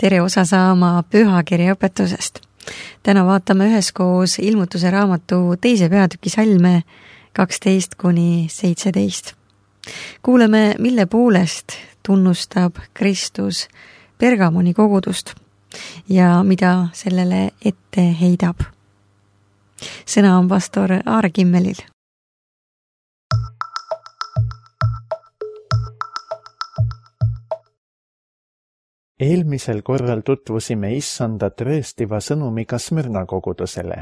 tere osa saama pühakirja õpetusest. Täna vaatame üheskoos ilmutuse raamatu teise peatüki salme 12-17. Kuuleme, mille poolest tunnustab Kristus Pergamoni kogudust ja mida sellele ette heidab. Sõna on pastor Aare Kimmelil. Eelmisel korral tutvusime Issanda tõestiva sõnumiga Smyrna kogudusele.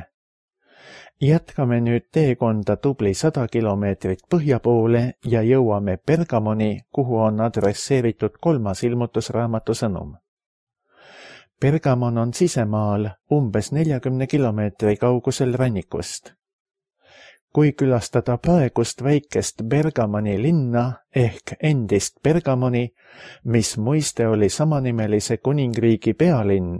Jätkame nüüd teekonda tubli 100 kilomeetrit põhja poole ja jõuame Pergamoni, kuhu on adresseeritud 3. ilmutusraamatu sõnum. Pergamon on sisemaal umbes 40 kilomeetri kaugusel rannikust. Kui külastada praegust väikest Pergamoni linna ehk endist Pergamoni, mis muiste oli samanimelise kuningriigi pealinn,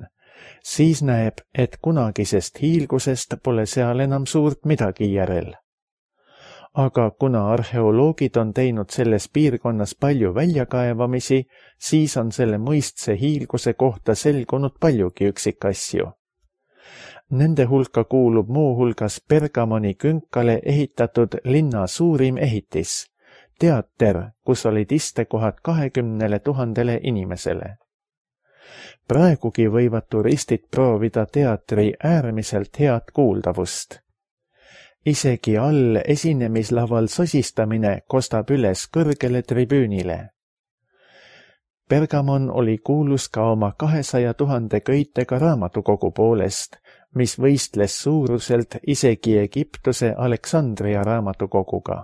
siis näeb, et kunagisest hiilgusest pole seal enam suurt midagi järel. Aga kuna arheoloogid on teinud selles piirkonnas palju väljakaevamisi, siis on selle mõistse hiilguse kohta selgunud paljugi üksikasju. Nende hulka kuulub muu hulgas Pergamoni künkale ehitatud linna suurim ehitis, teater, kus olid istekohad 20 000 inimesele. Praegugi võivad turistid proovida teatri äärmiselt head kuuldavust. Isegi all esinemislaval sosistamine kostab üles kõrgele tribüünile. Pergamon oli kuulus ka oma 200 000 köitega raamatukogu poolest, mis võistles suuruselt isegi Egiptuse Aleksandria raamatukoguga.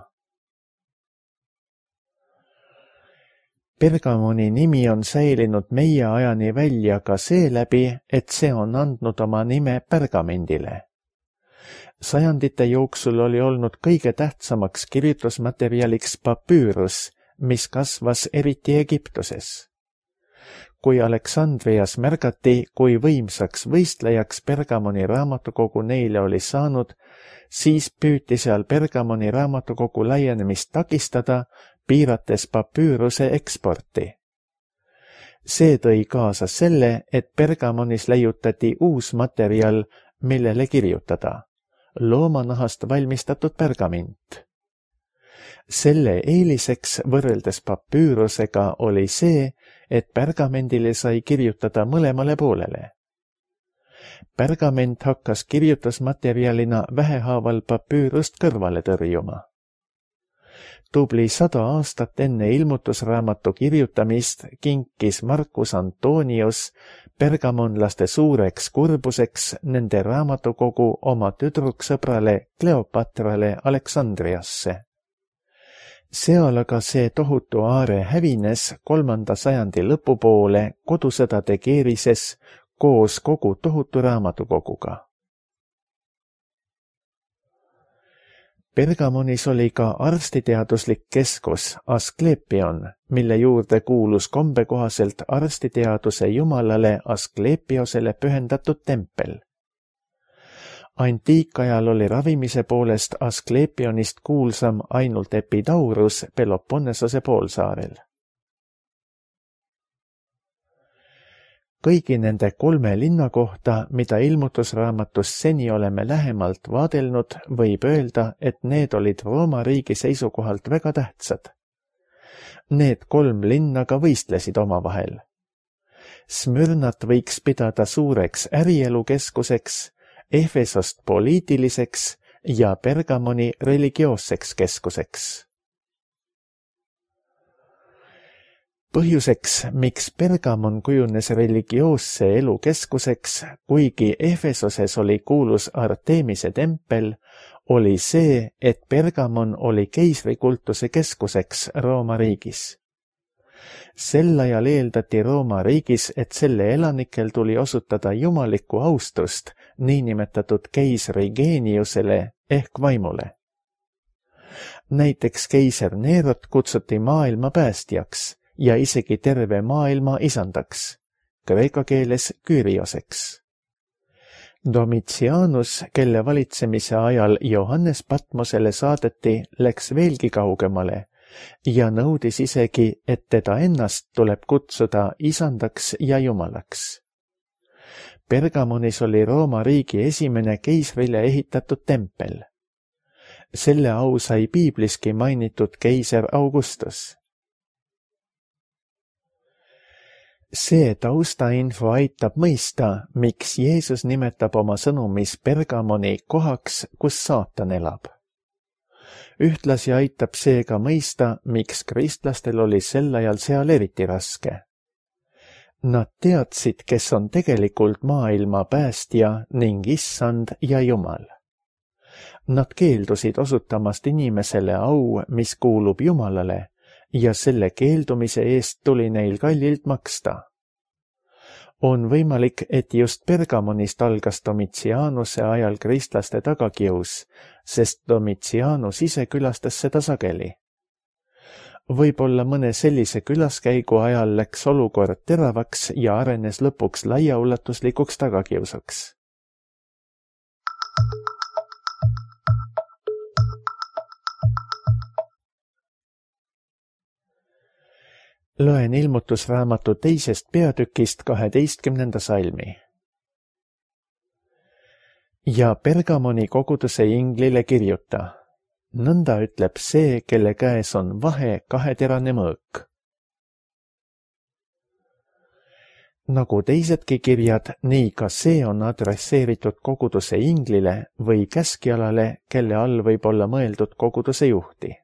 Pergamoni nimi on säilinud meie ajani välja ka seeläbi, et see on andnud oma nime pergamendile. Sajandite jooksul oli olnud kõige tähtsamaks kirjutusmaterjaliks papüürus, mis kasvas eriti Egiptuses. Kui Aleksandrias märgati, kui võimsaks võistlejaks Pergamoni raamatukogu neile oli saanud, siis püüti seal Pergamoni raamatukogu laienemist takistada, piirates papüüruse eksporti. See tõi kaasa selle, et Pergamonis leiutati uus materjal, millele kirjutada. Loomanahast valmistatud pergament. Selle eeliseks võrreldes papüürusega oli see, et pergamendile sai kirjutada mõlemale poolele. Pergament hakkas kirjutusmaterjalina vähehaaval papüürust kõrvale tõrjuma. Tubli 100 aastat enne ilmutusraamatu kirjutamist kinkis Marcus Antonius pergamonlaste suureks kurbuseks nende raamatukogu oma tüdruksõbrale Kleopatrale Aleksandriasse. Seal aga see tohutu aare hävines 3. sajandi lõpupoole kodusõdade keerises koos kogu tohutu raamatukoguga. Pergamonis oli ka arstiteaduslik keskus Asklepion, mille juurde kuulus kombekohaselt arstiteaduse jumalale Asklepiosele pühendatud tempel. Antiikajal oli ravimise poolest Asklepionist kuulsam ainult Epidaurus Peloponnesose poolsaarel. Kõigi nende 3 linna kohta, mida ilmutusraamatus seni oleme lähemalt vaadelnud, võib öelda, et need olid Rooma riigi seisukohalt väga tähtsad. Need 3 linna ka võistlesid omavahel. Smyrnat võiks pidada suureks ärielukeskuseks, Efesost poliitiliseks ja Pergamoni religioosseks keskuseks. Põhjuseks, miks Pergamon kujunes religioosse elu keskuseks, kuigi Efesoses oli kuulus Artemise tempel, oli see, et Pergamon oli keisrikultuse keskuseks Rooma riigis. Sel ajal eeldati Rooma riigis, et selle elanikel tuli osutada jumalikku austust niinimetatud keisri geeniusele ehk vaimule. Näiteks keiser Nerot kutsuti maailma päästjaks ja isegi terve maailma isandaks, kreeka keeles Kyrioseks. Domitianus, kelle valitsemise ajal Johannes Patmosele saadeti, läks veelgi kaugemale ja nõudis isegi, et teda ennast tuleb kutsuda isandaks ja jumalaks. Pergamonis oli Rooma riigi esimene keisrile ehitatud tempel. Selle au sai piibliski mainitud keiser Augustus. See taustainfo aitab mõista, miks Jeesus nimetab oma sõnumis Pergamoni kohaks, kus saatan elab. Ühtlasi aitab see ka mõista, miks kristlastel oli sel ajal seal eriti raske. Nad teadsid, kes on tegelikult maailma päästja ning issand ja Jumal. Nad keeldusid osutamast inimesele au, mis kuulub Jumalale, ja selle keeldumise eest tuli neil kallilt maksta. On võimalik, et just Pergamonist algas Domitianuse ajal kristlaste tagakius, sest Domitianus ise külastas seda sageli. Võib-olla mõne sellise külaskäigu ajal läks olukord teravaks ja arenes lõpuks laiaulatuslikuks tagakiusaks. Loen ilmutusraamatu 2. peatükist 12. salmi. Ja Pergamoni koguduse inglile kirjuta. Nõnda ütleb see, kelle käes on vahe kaheterane mõõk. Nagu teisedki kirjad, nii ka see on adresseeritud koguduse inglile või käskjalale, kelle all võib olla mõeldud koguduse juhti.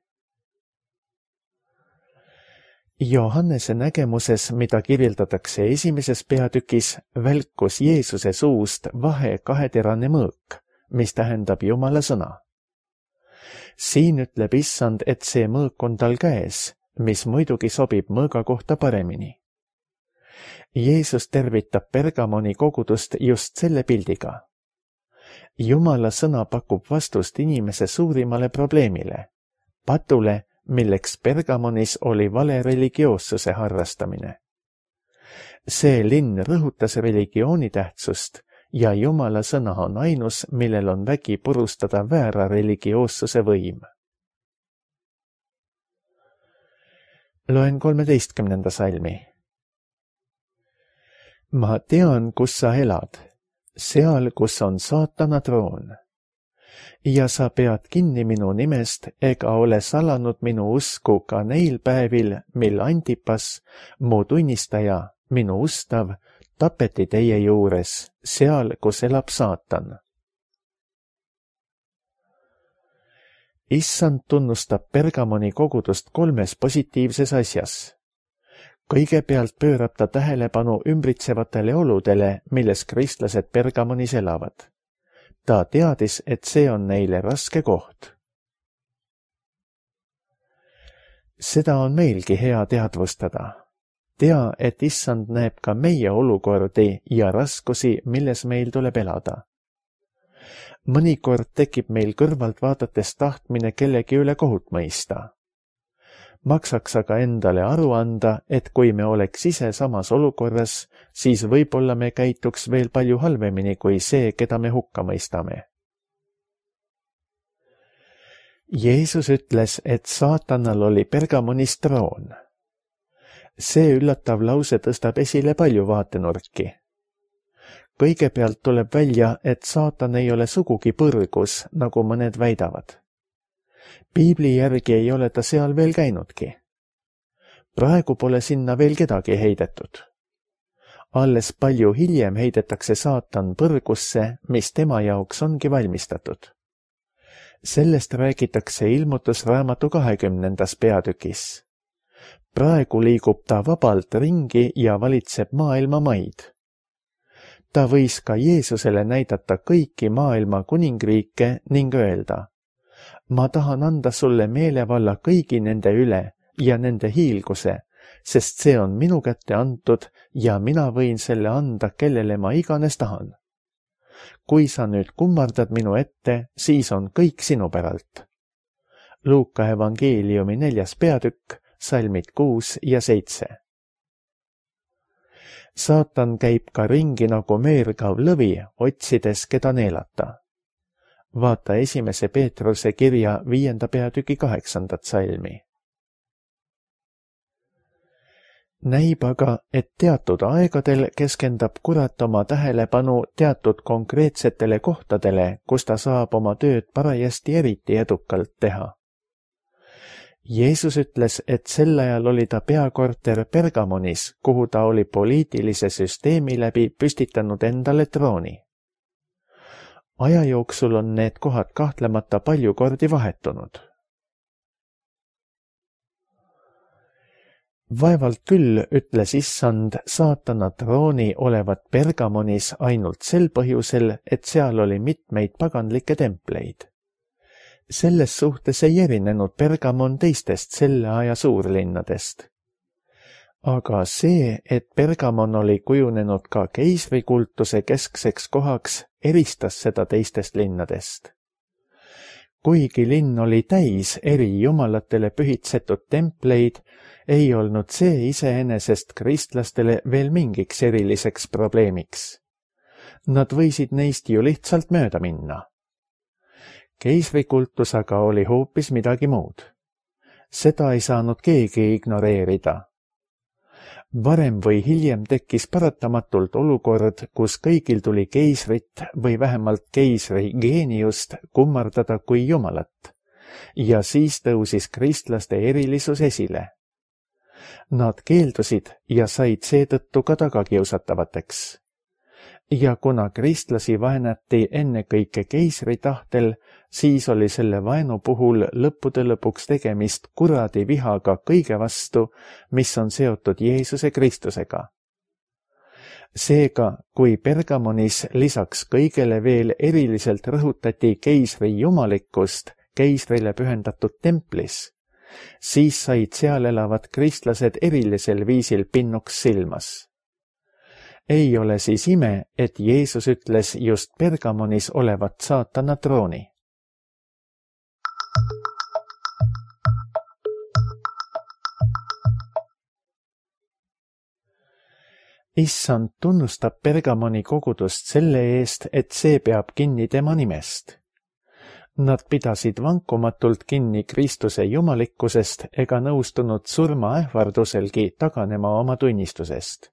Johannese nägemuses, mida kirjeldatakse 1. peatükis, välkus Jeesuse suust vahe kaheterane mõõk, mis tähendab Jumala sõna. Siin ütleb issand, et see mõõk on tal käes, mis muidugi sobib mõõga kohta paremini. Jeesus tervitab Pergamoni kogudust just selle pildiga. Jumala sõna pakub vastust inimese suurimale probleemile, patule, milleks Pergamonis oli vale religioossuse harrastamine. See linn rõhutas religiooni tähtsust ja Jumala sõna on ainus, millel on vägi purustada väära religioossuse võim. Loen 13. salmi. Ma tean, kus sa elad, seal, kus on saatana troon. Ja sa pead kinni minu nimest ega ole salanud minu usku ka neil päevil, mil Antipas, mu tunnistaja, minu ustav, tapeti teie juures, seal, kus elab saatan. Issand tunnustab Pergamoni kogudust 3 positiivses asjas. Kõigepealt pöörab ta tähelepanu ümbritsevatele oludele, milles kristlased Pergamonis elavad. Ta teadis, et see on neile raske koht. Seda on meilgi hea teadvustada. Tea, et issand näeb ka meie olukordi ja raskusi, milles meil tuleb elada. Mõnikord tekib meil kõrvalt vaadates tahtmine kellegi üle kohut mõista. Maksaks aga endale aru anda, et kui me oleks ise samas olukorras, siis võib-olla me käituks veel palju halvemini kui see, keda me hukka mõistame. Jeesus ütles, et saatanal oli Pergamonis troon. See üllatav lause tõstab esile palju vaatenurki. Kõigepealt tuleb välja, et saatan ei ole sugugi põrgus, nagu mõned väidavad. Piibli järgi ei ole ta seal veel käinudki. Praegu pole sinna veel kedagi heidetud. Alles palju hiljem heidetakse saatan põrgusse, mis tema jaoks ongi valmistatud. Sellest räägitakse ilmutusraamatu 20. peatükis. Praegu liigub ta vabalt ringi ja valitseb maailma maid. Ta võis ka Jeesusele näidata kõiki maailma kuningriike ning öelda: ma tahan anda sulle meelevalla kõigi nende üle ja nende hiilguse, sest see on minu kätte antud ja mina võin selle anda, kellele ma iganes tahan. Kui sa nüüd kummardad minu ette, siis on kõik sinu päralt. Luuka evangeeliumi 4. peatükk, salmid 6 ja 7. Saatan käib ka ringi nagu meergav lõvi, otsides, keda neelata. Vaata 1. Peetruse kirja 5. peatüki 8. salmi. näib aga, et teatud aegadel keskendab kurat oma tähelepanu teatud konkreetsetele kohtadele, kus ta saab oma tööd parajasti eriti edukalt teha. Jeesus ütles, et sel ajal oli ta peakorter Pergamonis, kuhu ta oli poliitilise süsteemi läbi püstitanud endale trooni. Aja jooksul on need kohad kahtlemata palju kordi vahetunud. Vaevalt küll, ütles issand, saatana trooni olevat Pergamonis ainult sel põhjusel, et seal oli mitmeid paganlikke templeid. Selles suhtes ei erinenud Pergamon teistest selle aja suurlinnadest. Aga see, et Pergamon oli kujunenud ka keisrikultuse keskseks kohaks, eristas seda teistest linnadest. Kuigi linn oli täis eri jumalatele pühitsetud templeid, ei olnud see iseenesest kristlastele veel mingiks eriliseks probleemiks. Nad võisid neist ju lihtsalt mööda minna. Keisrikultus aga oli hoopis midagi muud. Seda ei saanud keegi ignoreerida. Varem või hiljem tekkis paratamatult olukord, kus kõigil tuli keisrit või vähemalt keisri geeniust kummardada kui jumalat, ja siis tõusis kristlaste erilisus esile. Nad keeldusid ja said seetõttu ka tagakiusatavateks. Ja kuna kristlasi vaenati ennekõike keisri tahtel, siis oli selle vaenu puhul lõppude lõpuks tegemist kuradi vihaga kõige vastu, mis on seotud Jeesuse Kristusega. Seega, kui Pergamonis lisaks kõigele veel eriliselt rõhutati keisri jumalikkust keisrile pühendatud templis, siis said seal elavad kristlased erilisel viisil pinnuks silmas. Ei ole siis ime, et Jeesus ütles just Pergamonis olevat saatana trooni. Issand tunnustab Pergamoni kogudust selle eest, et see peab kinni tema nimest. Nad pidasid vankumatult kinni Kristuse jumalikkusest ega nõustunud surmaähvarduselgi taganema oma tunnistusest.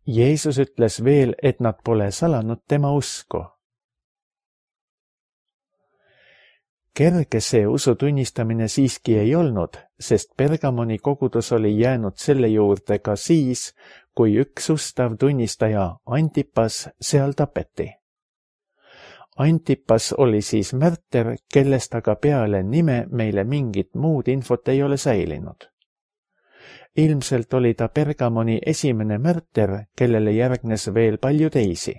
Jeesus ütles veel, et nad pole salanud tema usku. Kerge see usu tunnistamine siiski ei olnud, sest Pergamoni kogudus oli jäänud selle juurde ka siis, kui üks ustav tunnistaja Antipas seal tapeti. Antipas oli siis märter, kellest aga peale nime meile mingit muud infot ei ole säilinud. Ilmselt oli ta Pergamoni esimene märter, kellele järgnes veel palju teisi.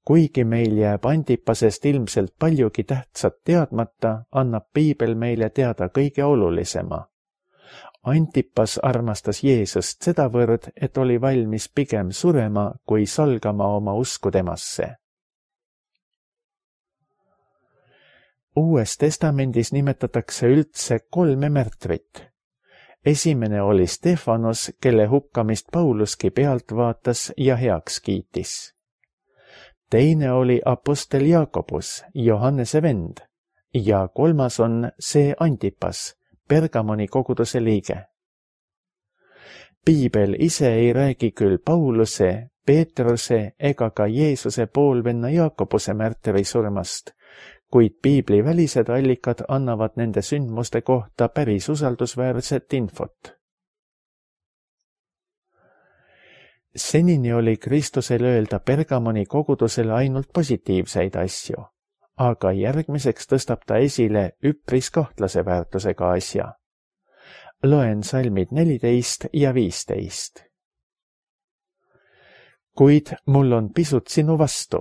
Kuigi meil jääb Antipasest ilmselt paljugi tähtsat teadmata, annab piibel meile teada kõige olulisema. Antipas armastas Jeesust sedavõrd, et oli valmis pigem surema, kui salgama oma usku temasse. Uues testamendis nimetatakse üldse 3 märtrit. Esimene oli Stefanos, kelle hukkamist Pauluski pealt vaatas ja heaks kiitis. Teine oli apostel Jaakobus, Johannese vend, ja 3. on see Antipas, Pergamoni koguduse liige. Piibel ise ei räägi küll Pauluse, Peetruse ega ka Jeesuse poolvenna Jaakobuse märtri surmast, kuid piibli välised allikad annavad nende sündmuste kohta päris usaldusväärset infot. Senini oli Kristusel öelda Pergamoni kogudusele ainult positiivseid asju, aga järgmiseks tõstab ta esile üpris kahtlase väärtusega asja. Loen salmid 14 ja 15. Kuid mul on pisut sinu vastu.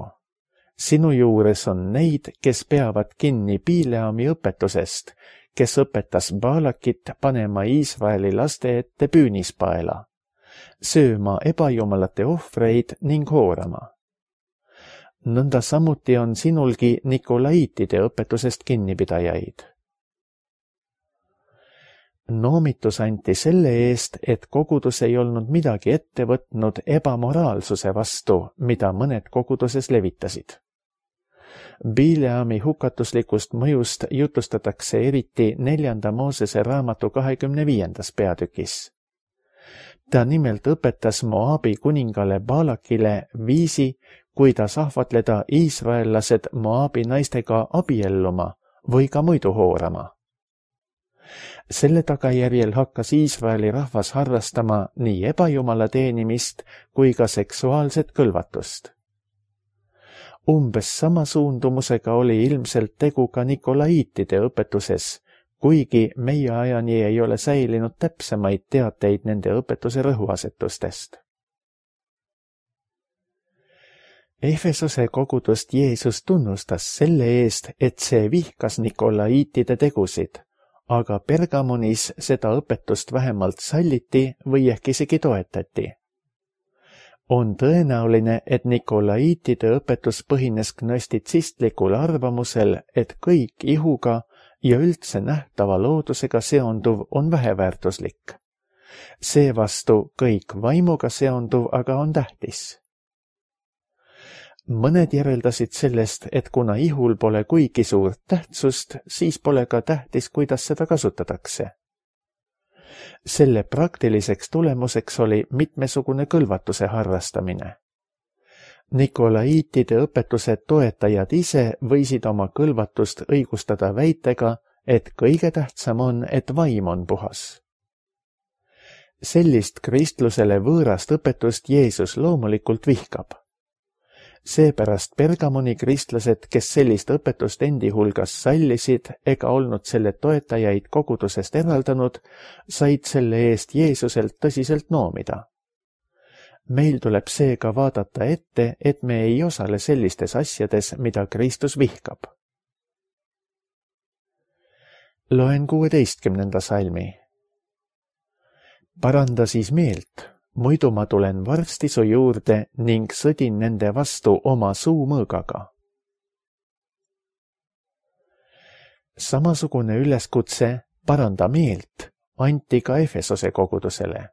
Sinu juures on neid, kes peavad kinni Bileami õpetusest, kes õpetas Baalakit panema Iisraeli laste ette püünispaela, sööma ebajumalate ohvreid ning hoorama. Nõnda samuti on sinulgi Nikolaiitide õpetusest kinnipidajaid. Noomitus anti selle eest, et kogudus ei olnud midagi ette võtnud ebamoraalsuse vastu, mida mõned koguduses levitasid. Bileami hukatuslikust mõjust jutustatakse eriti 4. Moosese raamatu 25. peatükis. Ta nimelt õpetas Moabi kuningale Balakile viisi, kuidas ahvatleda iisraellased Moabi naistega abielluma või ka muidu hoorama. Selle tagajärjel hakkas Iisraeli rahvas harrastama nii ebajumala teenimist kui ka seksuaalset kõlvatust. Umbes sama suundumusega oli ilmselt tegu ka nikolaiitide õpetuses, kuigi meie ajani ei ole säilinud täpsemaid teateid nende õpetuse rõhuasetustest. Efesose kogudust Jeesus tunnustas selle eest, et see vihkas nikolaiitide tegusid, aga Pergamonis seda õpetust vähemalt salliti või ehk isegi toetati. On tõenäoline, et nikolaiitide õpetus põhines gnostitsistlikul arvamusel, et kõik ihuga ja üldse nähtava loodusega seonduv on väheväärtuslik. Seevastu kõik vaimuga seonduv aga on tähtis. Mõned järeldasid sellest, et kuna ihul pole kuigi suurt tähtsust, siis pole ka tähtis, kuidas seda kasutatakse. Selle praktiliseks tulemuseks oli mitmesugune kõlvatuse harrastamine. Nikolaiitide õpetuse toetajad ise võisid oma kõlvatust õigustada väitega, et kõige tähtsam on, et vaim on puhas. Sellist kristlusele võõrast õpetust Jeesus loomulikult vihkab. Seepärast Pergamoni kristlased, kes sellist õpetust endi hulgas sallisid ega olnud selle toetajaid kogudusest eraldanud, said selle eest Jeesuselt tõsiselt noomida. Meil tuleb seega vaadata ette, et me ei osale sellistes asjades, mida Kristus vihkab. Loen 16. salmi. Paranda siis meelt. Muidu ma tulen varsti su juurde ning sõdin nende vastu oma suumõõgaga. Samasugune üleskutse paranda meelt anti ka Efesose kogudusele.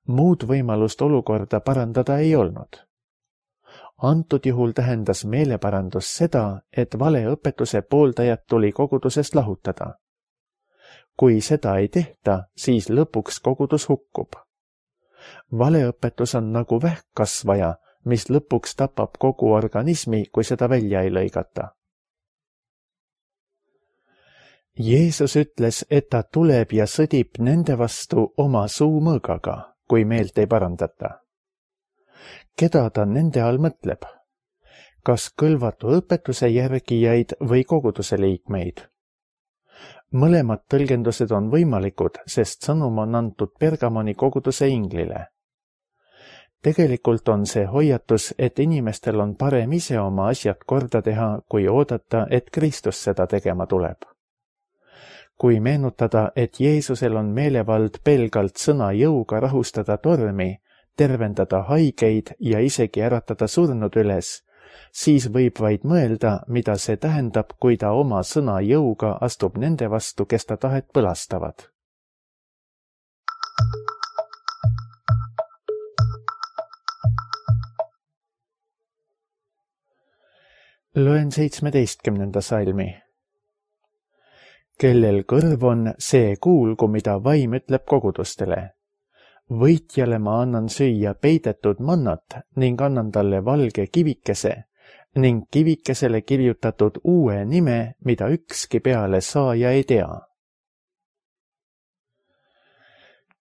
Muud võimalust olukorda parandada ei olnud. Antud juhul tähendas meeleparandus seda, et valeõpetuse pooldajad tuli kogudusest lahutada. Kui seda ei tehta, siis lõpuks kogudus hukkub. Valeõpetus on nagu vähkkasvaja, mis lõpuks tapab kogu organismi, kui seda välja ei lõigata. Jeesus ütles, et ta tuleb ja sõdib nende vastu oma suumõõgaga, kui meelt ei parandata. Keda ta nende all mõtleb? Kas kõlvatu õpetuse järgijaid või koguduse liikmeid? Mõlemad tõlgendused on võimalikud, sest sõnum on antud Pergamoni koguduse inglile. Tegelikult on see hoiatus, et inimestel on parem ise oma asjad korda teha, kui oodata, et Kristus seda tegema tuleb. Kui meenutada, et Jeesusel on meelevald pelgalt sõna jõuga rahustada tormi, tervendada haigeid ja isegi äratada surnud üles, siis võib vaid mõelda, mida see tähendab, kui ta oma sõna jõuga astub nende vastu, kes ta tahet põlastavad. Loen 17. salmi. Kellel kõrv on, see kuulgu, mida vaim ütleb kogudustele. Võitjale ma annan süüa peidetud mannat ning annan talle valge kivikese ning kivikesele kirjutatud uue nime, mida ükski peale saaja ei tea.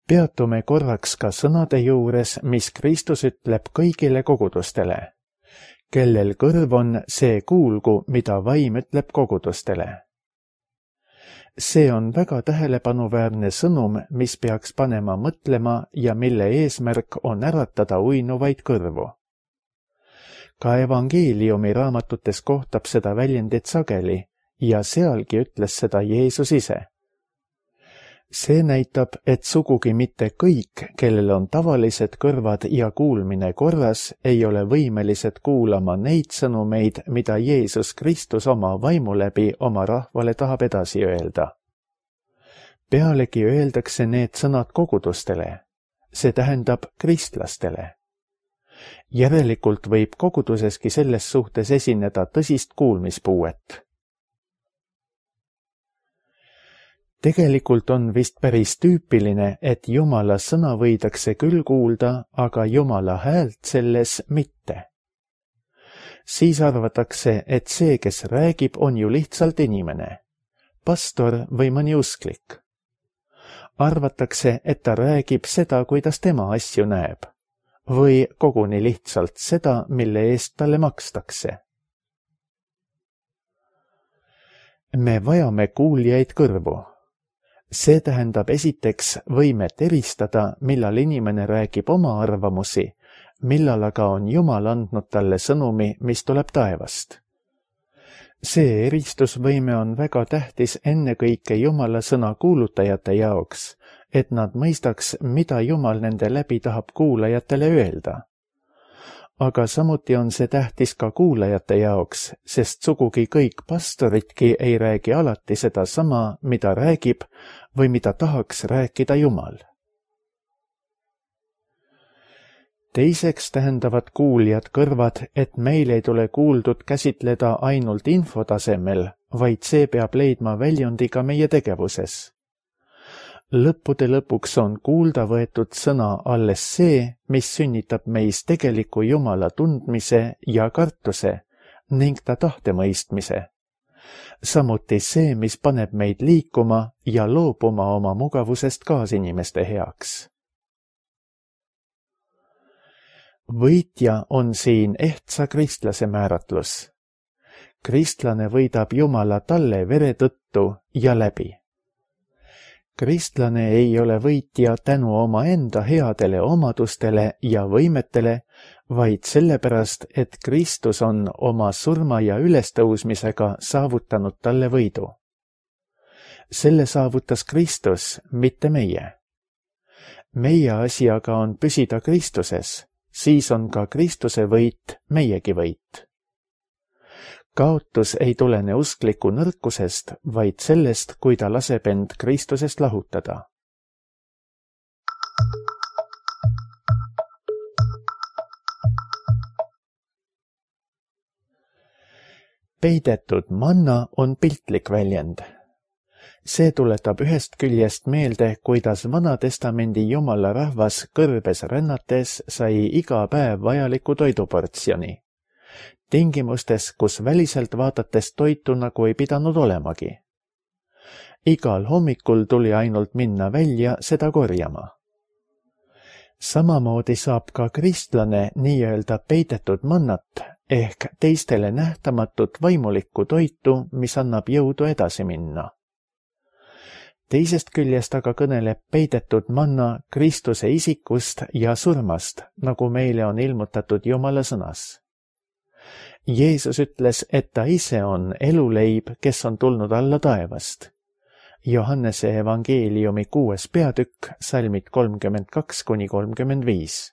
Peatume korraks ka sõnade juures, mis Kristus ütleb kõigile kogudustele. Kellel kõrv on, see kuulgu, mida vaim ütleb kogudustele. See on väga tähelepanuväärne sõnum, mis peaks panema mõtlema ja mille eesmärk on äratada uinuvaid kõrvu. Ka evangeeliumi raamatutes kohtab seda väljendit sageli ja sealgi ütles seda Jeesus ise. See näitab, et sugugi mitte kõik, kellel on tavalised kõrvad ja kuulmine korras, ei ole võimelised kuulama neid sõnumeid, mida Jeesus Kristus oma vaimu läbi oma rahvale tahab edasi öelda. Pealegi öeldakse need sõnad kogudustele, see tähendab kristlastele. Järelikult võib koguduseski selles suhtes esineda tõsist kuulmispuuet. Tegelikult on vist päris tüüpiline, et Jumala sõna võidakse küll kuulda, aga Jumala häält selles mitte. Siis arvatakse, et see, kes räägib, on ju lihtsalt inimene, pastor või mõni usklik. Arvatakse, et ta räägib seda, kuidas tema asju näeb, või koguni lihtsalt seda, mille eest talle makstakse. Me vajame kuuljaid kõrvu. See tähendab esiteks võimet eristada, millal inimene räägib oma arvamusi, millal aga on Jumal andnud talle sõnumi, mis tuleb taevast. See eristusvõime on väga tähtis ennekõike Jumala sõna kuulutajate jaoks, et nad mõistaks, mida Jumal nende läbi tahab kuulajatele öelda. Aga samuti on see tähtis ka kuulajate jaoks, sest sugugi kõik pastoritki ei räägi alati seda sama, mida räägib või mida tahaks rääkida Jumal. Teiseks tähendavad kuuljad kõrvad, et meil ei tule kuuldud käsitleda ainult infotasemel, vaid see peab leidma väljundi ka meie tegevuses. Lõppude lõpuks on kuulda võetud sõna alles see, mis sünnitab meis tegeliku Jumala tundmise ja kartuse ning ta tahtemõistmise. Samuti see, mis paneb meid liikuma ja loobuma oma mugavusest kaasinimeste heaks. Võitja on siin ehtsa kristlase määratlus. Kristlane võidab Jumala talle vere tõttu ja läbi. Kristlane ei ole võitja tänu omaenda headele omadustele ja võimetele, vaid sellepärast, et Kristus on oma surma ja ülestõusmisega saavutanud talle võidu. Selle saavutas Kristus, mitte meie. Meie asi aga on püsida Kristuses, siis on ka Kristuse võit meiegi võit. Kaotus ei tulene uskliku nõrkusest, vaid sellest, kui ta laseb end Kristusest lahutada. Peidetud manna on piltlik väljend. See tuletab ühest küljest meelde, kuidas Vana-testamendi Jumala rahvas kõrbes rännates sai iga päev vajaliku toiduportsjoni. Tingimustes, kus väliselt vaadates toitu nagu ei pidanud olemagi. Igal hommikul tuli ainult minna välja seda korjama. Samamoodi saab ka kristlane nii-öelda peidetud mannat ehk teistele nähtamatut vaimulikku toitu, mis annab jõudu edasi minna. Teisest küljest aga kõneleb peidetud manna Kristuse isikust ja surmast, nagu meile on ilmutatud Jumala sõnas. Jeesus ütles, et ta ise on eluleib, kes on tulnud alla taevast. Johannese evangeeliumi 6. peatükk, salmid 32–35.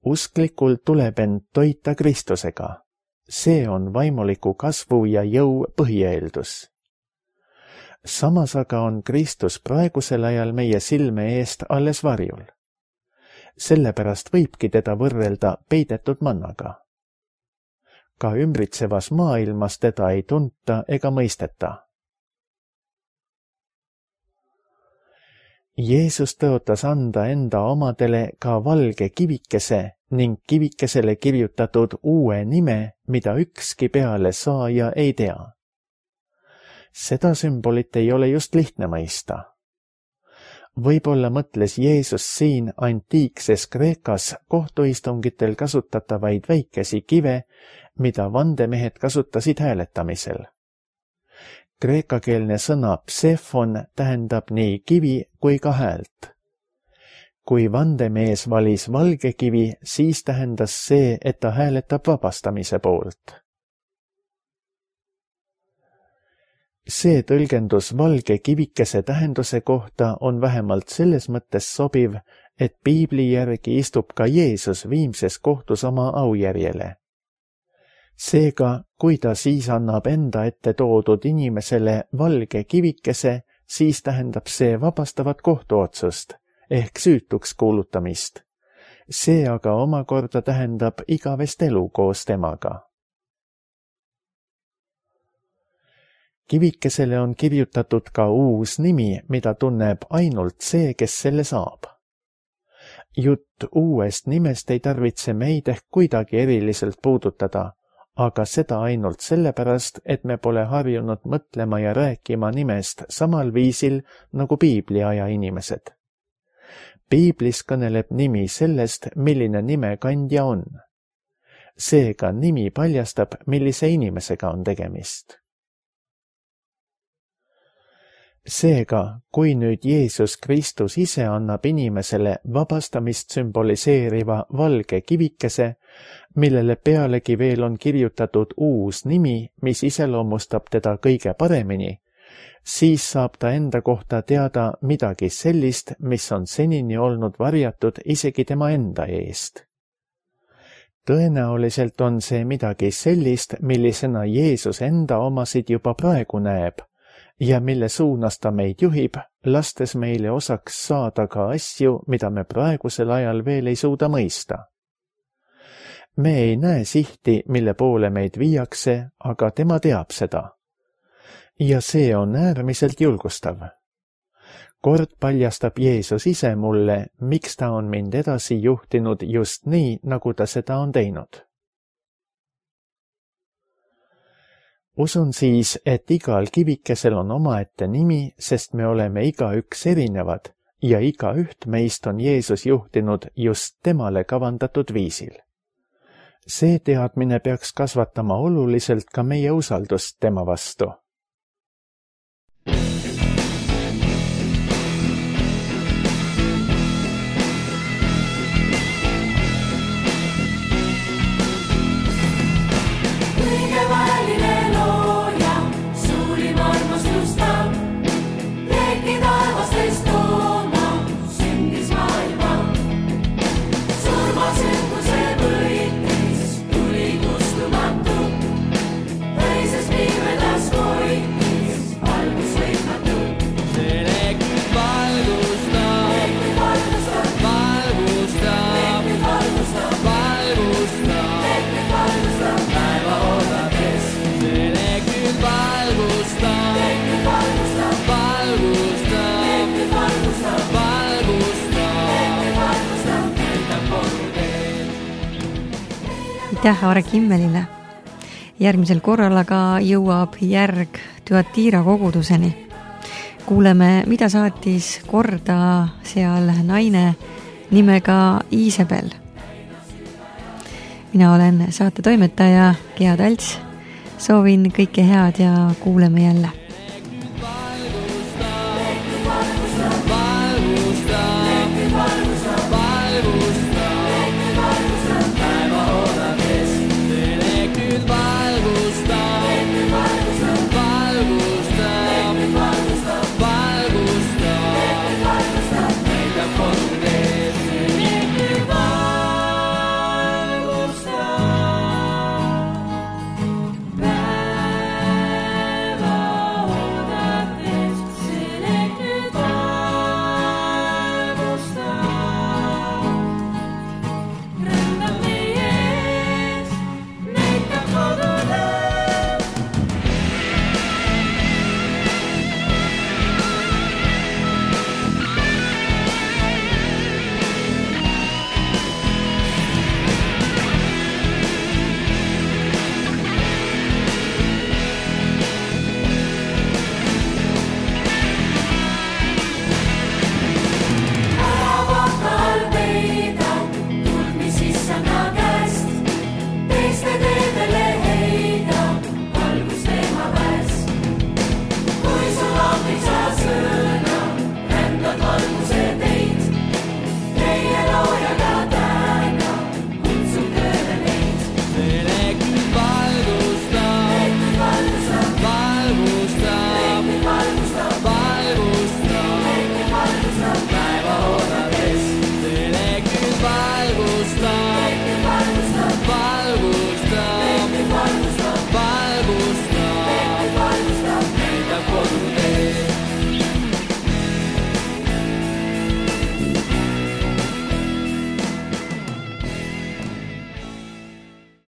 Usklikul tuleb end toita Kristusega. See on vaimuliku kasvu ja jõu põhieeldus. Samas aga on Kristus praegusel ajal meie silme eest alles varjul. Sellepärast võibki teda võrrelda peidetud mannaga. Ka ümbritsevas maailmas teda ei tunta ega mõisteta. Jeesus tõotas anda enda omadele ka valge kivikese ning kivikesele kirjutatud uue nime, mida ükski pealesaaja ei tea. Seda sümbolit ei ole just lihtne mõista. Võib-olla mõtles Jeesus siin antiikses Kreekas kohtuistungitel kasutatavaid väikesi kive, mida vandemehed kasutasid hääletamisel. Kreekakeelne sõna psefon tähendab nii kivi kui ka häält. Kui vandemees valis valge kivi, siis tähendas see, et ta hääletab vabastamise poolt. See tõlgendus valge kivikese tähenduse kohta on vähemalt selles mõttes sobiv, et piibli järgi istub ka Jeesus viimses kohtus oma aujärjele. Seega, kui ta siis annab enda ette toodud inimesele valge kivikese, siis tähendab see vabastavat kohtuotsust ehk süütuks kuulutamist. See aga omakorda tähendab igavest elu koos temaga. kivikesele on kirjutatud ka uus nimi, mida tunneb ainult see, kes selle saab. Jutt uuest nimest ei tarvitse meid ehk kuidagi eriliselt puudutada, aga seda ainult sellepärast, et me pole harjunud mõtlema ja rääkima nimest samal viisil nagu piibliaja inimesed. Piiblis kõneleb nimi sellest, milline nime kandja on. Seega nimi paljastab, millise inimesega on tegemist. Seega, kui nüüd Jeesus Kristus ise annab inimesele vabastamist sümboliseeriva valge kivikese, millele pealegi veel on kirjutatud uus nimi, mis iseloomustab teda kõige paremini, siis saab ta enda kohta teada midagi sellist, mis on senini olnud varjatud isegi tema enda eest. Tõenäoliselt on see midagi sellist, millisena Jeesus enda omasid juba praegu näeb, ja mille suunas ta meid juhib, lastes meile osaks saada ka asju, mida me praegusel ajal veel ei suuda mõista. Me ei näe sihti, mille poole meid viiakse, aga tema teab seda. Ja see on äärmiselt julgustav. Kord paljastab Jeesus ise mulle, miks ta on mind edasi juhtinud just nii, nagu ta seda on teinud. Usun siis, et igal kivikesel on omaette nimi, sest me oleme igaüks erinevad ja igaüht meist on Jeesus juhtinud just temale kavandatud viisil. See teadmine peaks kasvatama oluliselt ka meie usaldust tema vastu. Aitäh Aare Kimmelile. Järgmisel korral aga jõuab järg Thyatira koguduseni. Kuuleme, mida saatis korda seal naine nimega Iisabel. Mina olen saate toimetaja Gea Talts. Soovin kõike head ja kuuleme jälle.